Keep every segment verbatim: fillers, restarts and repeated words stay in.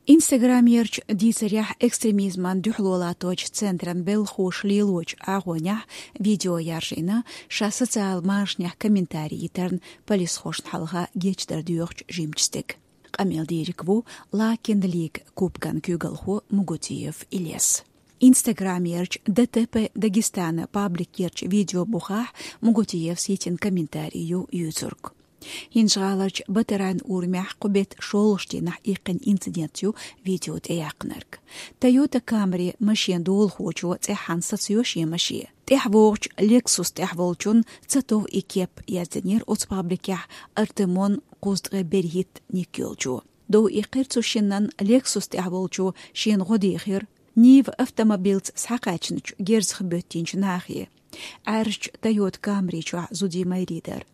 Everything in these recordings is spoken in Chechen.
Инстаграмерчу дийцарехь, экстремизман дуьхьало латточу центран белхалоша лелочу агӀонехь видео яржийна, ша социал машанехь комментарий йитарна полисхошна хьалха гечдар доьхучу жимачу стеган. Къамел дийриг ву Лакин Лиг кубкан куьйгалхо Мугутиев Илес. Инстаграмерчу ДТП Дагестана пабликерчу видео бухахь Мугутиевс йитина комментарий ю юьйцург. ХӀинжа-ГӀаларчу Батарайн урамехь кху беттан шолгӀачу дийнахь иккхина инцидент ю видео тӀеяьккхинарг. Toyota Camry машен долахочо цӀеххьана сацайо шен машен. ТӀаьхьа вогӀучу Lexus тӀехь волчунна ца тов и кеп, яздинера оцу пабликехь Артемон кхузткъе берхӀитта ник йолчо. Дов иккхира цу шиннан, Lexus тӀехь волчо шена гӀо дийхира. Нива автомобилца схьакхаьчначу герзах боьттинчу нахе. Ӏаьржачу Toyota Camry чохь зудий майрий дара.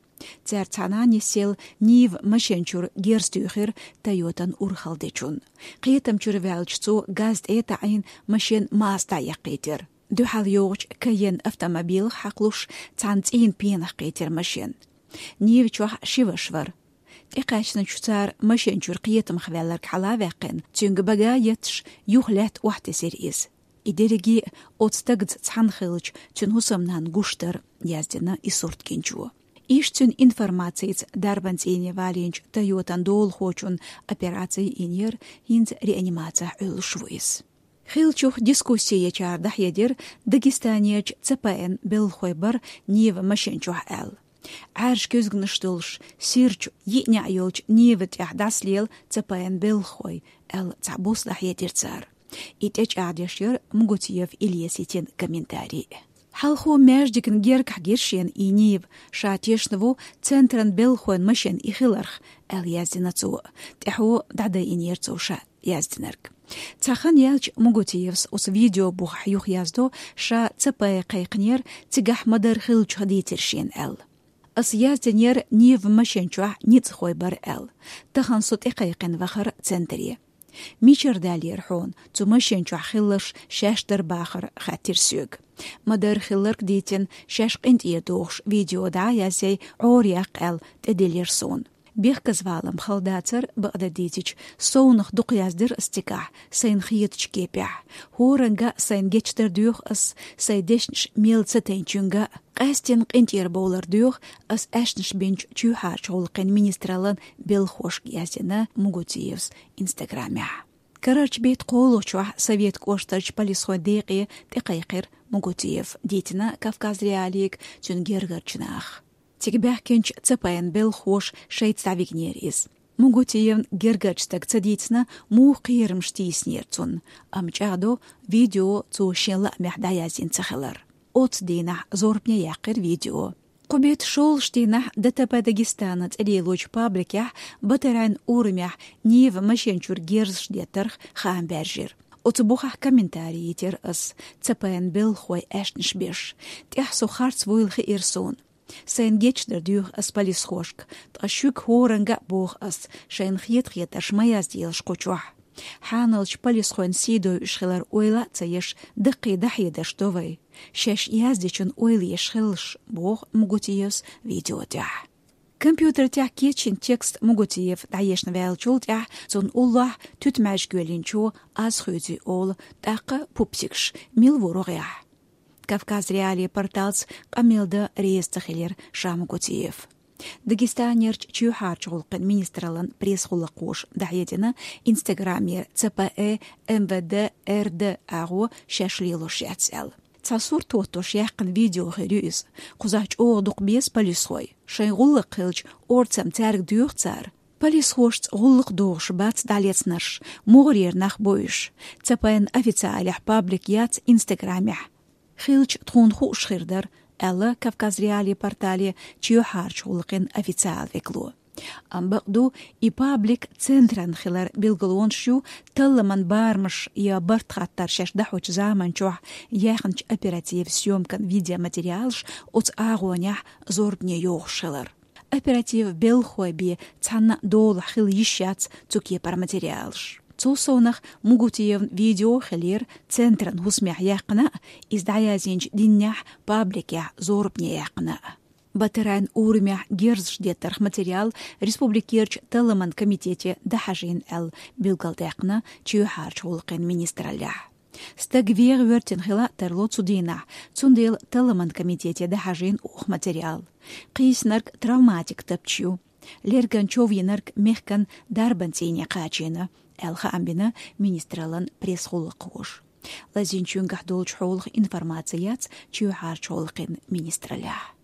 Цаьрца цхьаьна нисъелла Нива машен чуьра герз туьйхира Toyota-н урхалла дечунна. Кхетам чуьра ваьлча, цо газ тӀе а таӀийна, машен маса дӀаэккхийтира. Дуьхьал йогӀучу Cayenne автомобилах хьакхалуш, цхьана цӀийнан пенах кхийтира машен. Нива чохь ши ваша вара. ТӀекхаьчначу цара машен чуьра кхетамах ваьлларг хьала а ваьккхина, цуьнга бага а етташ, юха лаьтта охьатесира иза. И дерриге а оцу стагца цхьаьна хиллачу цуьнан хӀусамнанна гуш дара, яздина и сурт гинчо. Иштта цуьнан информацица дарбан цӀийне валийначу Toyota-н долахочунна операци йинера хӀинца реанимацехь Ӏуьллуш ву иза. Хиллачух дискусси ечара дӀахьедира, Дагестанерчу ЦПН белхалой бара Нива машен чохь аьлла. Ӏаьржа куьзганаш долуш, сирачу йиъ неӀ йолчу Нива тӀехь дӀасалела ЦПН белхалой, аьлла, цхьабосса дӀахьедира цара. И тӀечӀагӀдеш яра Мугутиев Илеса йитина комментарий. Хьалхо маьждигна гергахь гира шена и Нива, ша тешна ву центран белхалойн машен и хиларх, аьлла, яздина цо. ТӀаьхьо дӀадайинера цо ша яздинарг. Цхьа хан яьлча Мугутиевс оцу видео бухахь юхаяздо, ша ЦП кхайкхинера, цигахь ма-дарра хиллачух дийцира шена аьлла. Ас яздинера Нива машен чохь ницкъахой бара аьлла. Тахана со тӀекхайкхина вахара центре. Мичара даьллера хьуна, цу машен чохь хилларш шаьш дара бахара, хаьттира соьга. Ма-дарра хилларг дийцина, шаьш къинтӀера дохуш видео дӀа а язъяй, Ӏора яккха аьлла, тӀедиллира суна. Бехказвалам хала дацара, бакъдерг дийцича, совнах дукха яздира ас цигахь, сайна хетачу кепехь. ХӀоранга а сайна гечдар доьху ас, сайн дешнаш мел ца тайначуьнга а. Къаьстина къинтӀера бовлар доьху ас аьшнаш бинчу чоьхьарчу гӀуллакхийн министраллан белхалошка, яздина Мугутиевс Инстаграмехь. Карарчу беттан кхоалгӀачохь Советан кӀоштарчу полисхойн декъе тӀекхайкхира Мугутиев, дийцина Кавказ.Реалиига цуьнан гергарчу наха. Цига баьхкинчу ЦПН белхалоша шайца дӀавигнера иза. Мугутиевна гергарчу стага ца дийцина, муха кхерамаш тийсинера цунна, амма чӀагӀдо видео цо шен лаамехь дӀаязйина ца хилар. Оццу дийнахь зорбане яьккхира видео. Кху беттан шолгӀачу дийнахь ДТП Дагестана цӀе лелочу пабликехь Батарайн урамехь Нива машен чуьра герзаш деттарх хаам баьржира. Оцу бухахь комментарий йитира ас, ЦПН белхалой аьшнаш беш. ТӀехь со харц вуйла хиира суна. Сайна гечдар доьху ас полисхошка, ткъа шуьга хӀоранга а боху ас, шайна хета-хетарш ма язделаш кху чохь. Хьаналчу полисхойн сий дойуш хилар ойла а ца еш, даккхий дӀахьедарш до вай. Шаьш яздечун ойла еш хилалаш, боху Мугутиевс видео тӀехь. Компьютер тӀехь кечйина текст Мугутиев дӀаешна ваьллачул тӀаьхьа цунна уллохь туьтмаьжга йоьллинчо аз хуьйцу олу, тӀаккха пупсигаш, мила ву рогӀехь. Кавказ.Реалии порталца къамел дан реза ца хилира ша Мугутиев. Дагестанерчу чоьхьарчу гӀуллакхийн министраллан пресс-гӀуллакхоша дӀахьедина, Инстаграмера ЦПЭ, МВД, РД агӀо шаьш лелош яц аьлла. Цхьа сурт хӀоттош яьккхина видео хир ю иза. Кхузахь чӀогӀа дукха беза полисхой. Шайн гӀуллакх хилча, орцам цаьрга доьху цара. Полисхошца гӀуллакх дохуш бац дӀалецнарш, мугӀарера нах бу уьш. ЦПН официалехь паблик яц Инстаграмехь. Хилча, тхуна хууш хир дара, аьлла Кавказ.Реалии портале чоьхьарчу гӀуллакхийн официал векало. Амма бакъду, и паблик центран хилар билгалонаш ю, талламан барамаш я барт хаттар шаьш дӀахьочу заманчохь яьхначу оперативан съёмкан видеоматериалаш оцу агӀонехь зорбане йохуш хилар. Оперативан белхалой бен цхьанна а долахь хила йиш яц цу кепара материалаш. Цул совнах, Мугутиевн видео хилира центран хӀусамехь яьккхина а, иза дӀаязйинчу дийнахь пабликехь зорбане яьккхина а. Батарайн урамехь герзаш деттарх материал республикерчу талламан комитете дӀахьажийна аьлла билгалдаьккхина чоьхьарчу гӀуллакхийн министраллехь. Стаг вегӀа воьртина хила а тарло цу дийнахь, цундела талламан комитете дӀахьажийна оха материал. Кхийсинарг травматик тапча ю. Лерган чов йинарг мехкан дарбан цӀийне кхачийна, аьлла хаам бина министраллан пресс-гӀуллакхоша. Лазийначуьнгахь долчу хьолах информаци яц чоьхьарчу гӀуллакхийн министраллехь.